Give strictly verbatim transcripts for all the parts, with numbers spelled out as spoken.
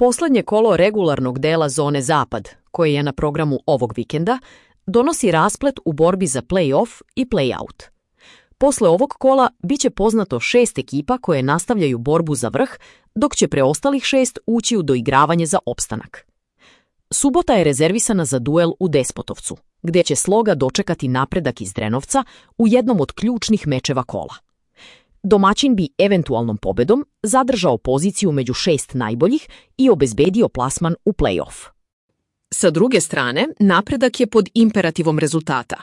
Poslednje kolo regularnog dela zone Zapad, koje je na programu ovog vikenda, donosi rasplet u borbi za play-off i play-out. Posle ovog kola biće poznato šest ekipa koje nastavljaju borbu za vrh, dok će preostalih šest ući u doigravanje za opstanak. Subota je rezervisana za duel u Despotovcu, gde će Sloga dočekati napredak iz Drenovca u jednom od ključnih mečeva kola. Domaćin bi eventualnom pobedom zadržao poziciju među šest najboljih i obezbedio plasman u play-off. Sa druge strane, napredak je pod imperativom rezultata.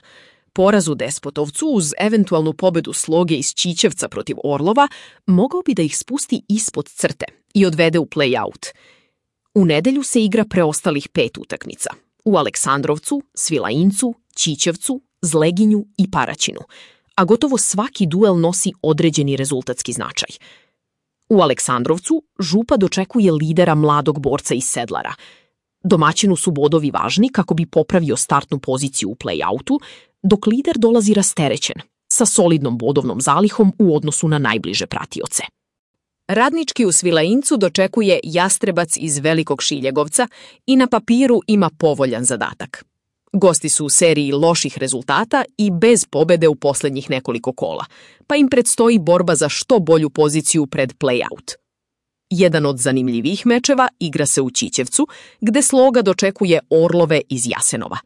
Poraz u Despotovcu uz eventualnu pobedu Sloge iz Ćićevca protiv Orlova mogao bi da ih spusti ispod crte i odvede u play-out. U nedelju se igra preostalih pet utakmica. U Aleksandrovcu, Svilajincu, Ćićevcu, Zleginju i Paraćinu, a gotovo svaki duel nosi određeni rezultatski značaj. U Aleksandrovcu Župa dočekuje lidera mladog borca iz Sedlara. Domaćinu su bodovi važni kako bi popravio startnu poziciju u play-outu, dok lider dolazi rasterećen, sa solidnom bodovnom zalihom u odnosu na najbliže pratioce. Radnički u Svilajincu dočekuje Jastrebac iz Velikog Šiljegovca i na papiru ima povoljan zadatak. Gosti su u seriji loših rezultata i bez pobede u poslednjih nekoliko kola, pa im predstoji borba za što bolju poziciju pred play-out. Jedan od zanimljivih mečeva igra se u Ćićevcu, gde Sloga dočekuje Orlove iz Jasenova.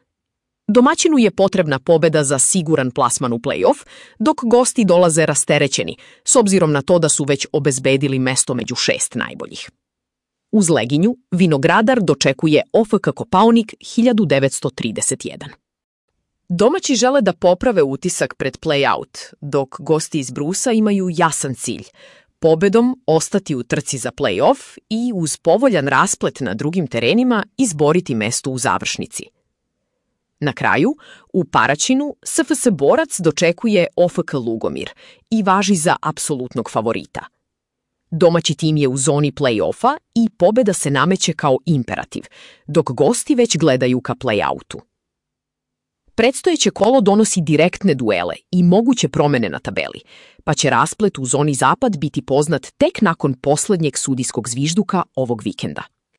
Domaćinu je potrebna pobeda za siguran plasman u play-off, dok gosti dolaze rasterećeni, s obzirom na to da su već obezbedili mesto među šest najboljih. U Zleginju Vinogradar dočekuje O F K Kopaonik hiljadu devetsto trideset jedan. Domaći žele da poprave utisak pred play-out, dok gosti iz Brusa imaju jasan cilj – pobedom ostati u trci za play-off i uz povoljan rasplet na drugim terenima izboriti mesto u završnici. Na kraju, u Paraćinu S F S Borac dočekuje O F K Lugomir i važi za apsolutnog favorita. Domaći tim je u zoni play-offa i pobeda se nameće kao imperativ, dok gosti već gledaju ka play-outu. Predstojeće kolo donosi direktne duele i moguće promene na tabeli, pa će rasplet u zoni Zapad biti poznat tek nakon poslednjeg sudijskog zvižduka ovog vikenda.